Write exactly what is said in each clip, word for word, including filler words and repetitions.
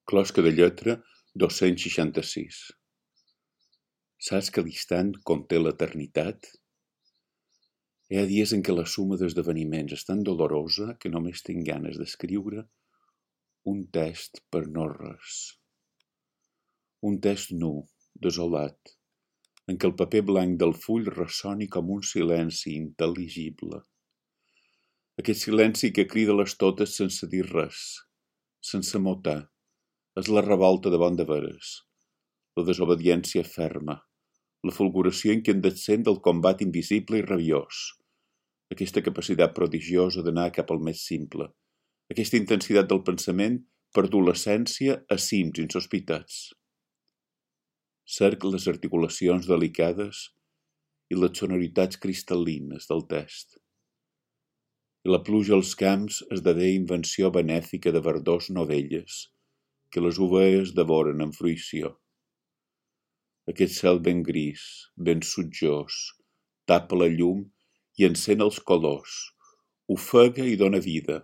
Closca de lletra dos-cents seixanta-sis. Saps que l'instant conté l'eternitat? Hi ha dies en què la suma d'esdeveniments és tan dolorosa que només tinc ganes d'escriure un text per no res. Un text nu, desolat, en què el paper blanc del full ressoni com un silenci intel·ligible. Aquest silenci que crida les totes sense dir res, sense motar. És la revolta davant de veres, la desobediència ferma, la fulguració incandescent del combat invisible i rabiós, aquesta capacitat prodigiosa d'anar cap al més simple, aquesta intensitat del pensament per dur l'essència a cims insospitats. Cerc les articulacions delicades i les sonoritats cristal·lines del text. I la pluja als camps esdevé invenció benèfica de verdors novelles, que les ovelles devoren amb fruïció. Aquest cel ben gris, ben sutjós, tapa la llum i encén els colors, ofega i dóna vida,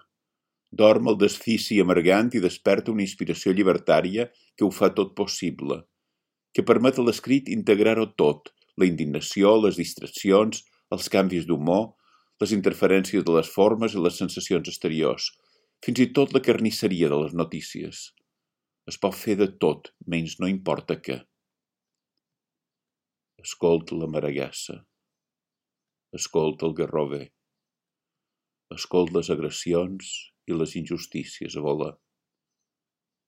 dorm el desfici amargant i desperta una inspiració llibertària que ho fa tot possible, que permet a l'escrit integrar-ho tot, la indignació, les distraccions, els canvis d'humor, les interferències de les formes i les sensacions exteriors, fins i tot la carnisseria de les notícies. Es pot fer de tot, menys no importa què. Escolta la maragassa. Escolta el garrover. Escolta les agressions i les injustícies a volar.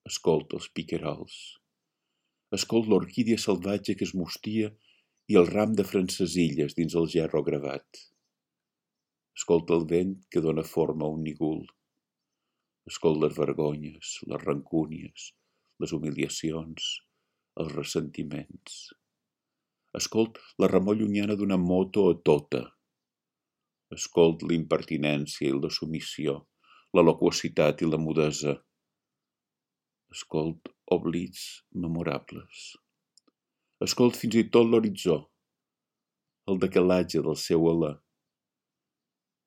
Escolta els piquerols. Escolta l'orquídia salvatge que es mustia i el ram de francesilles dins el gerro gravat. Escolta el vent que dóna forma a un nigul. Escolta les vergonyes, les rancúnies, les humiliacions, els ressentiments. Escolt la remor llunyana d'una moto a tota. Escolt l'impertinència i la submissió, la loquacitat i la mudesa. Escolt oblits memorables. Escolt fins i tot l'horitzó, el decalatge del seu alè.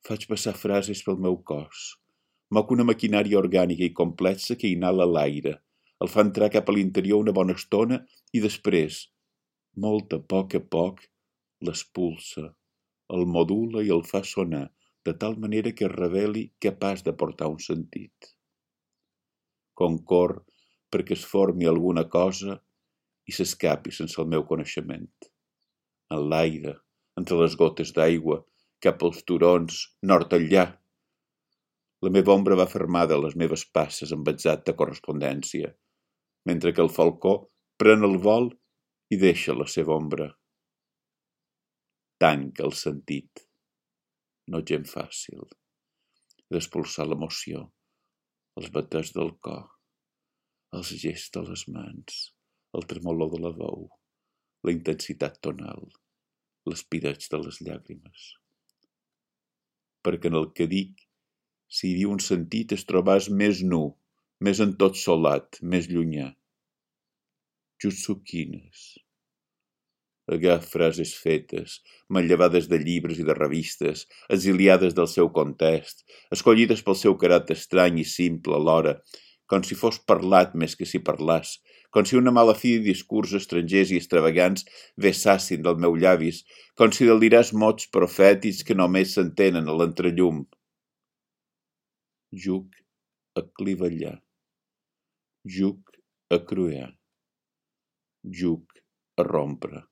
Faig passar frases pel meu cos, moc una maquinària orgànica i complexa que inhala l'aire, el fa entrar cap a l'interior una bona estona i després, molt a poc a poc, l'expulsa, el modula i el fa sonar de tal manera que es reveli capaç de portar un sentit. Concor perquè es formi alguna cosa i s'escapi sense el meu coneixement. En l'aire, entre les gotes d'aigua, cap als turons, nord enllà. La meva ombra va fermada a les meves passes amb exacta correspondència, mentre que el falcó pren el vol i deixa la seva ombra. Tanca el sentit, no gens fàcil, d'expulsar l'emoció, els batecs del cor, els gests de les mans, el tremolor de la veu, la intensitat tonal, l'espireig de les llàgrimes. Perquè en el que dic, si hi havia un sentit es trobàs més nu, més en tot solat, més llunyà. Jutsuquines. Agaf frases fetes, manllevades de llibres i de revistes, exiliades del seu context, escollides pel seu caràcter estrany i simple alhora, com si fos parlat més que si parlàs, com si una mala fi de discurs estrangers i extravagants vessassin del meu llavis, com si deliràs mots profètics que només s'entenen a l'entrellum. Juc a clivellar. Juc a cruer. Juc a rompre.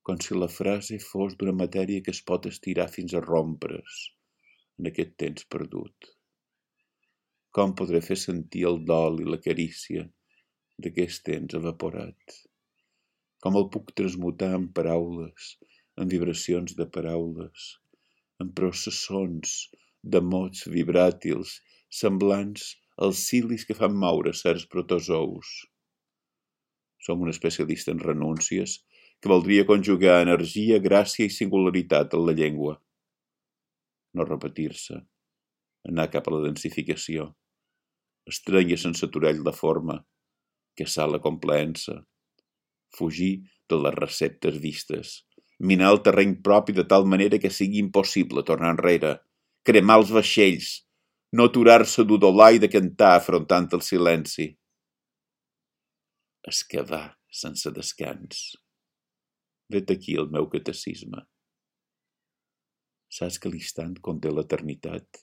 Com si la frase fos d'una matèria que es pot estirar fins a rompre's en aquest temps perdut. Com podré fer sentir el dol i la carícia d'aquest temps evaporat? Com el puc transmutar en paraules, en vibracions de paraules, en processons de mots vibràtils semblants als cilis que fan moure certs protozous? Som un especialista en renúncies que voldria conjugar energia, gràcia i singularitat en la llengua. No repetir-se, anar cap a la densificació, estrènyer sense aturell la forma, caçar la complaença, fugir de les receptes vistes, minar el terreny propi de tal manera que sigui impossible tornar enrere, cremar els vaixells, no aturar-se d'udolar i de cantar afrontant el silenci. Escavar sense descans. Vet aquí el meu catecisme. Saps que l'instant conté l'eternitat?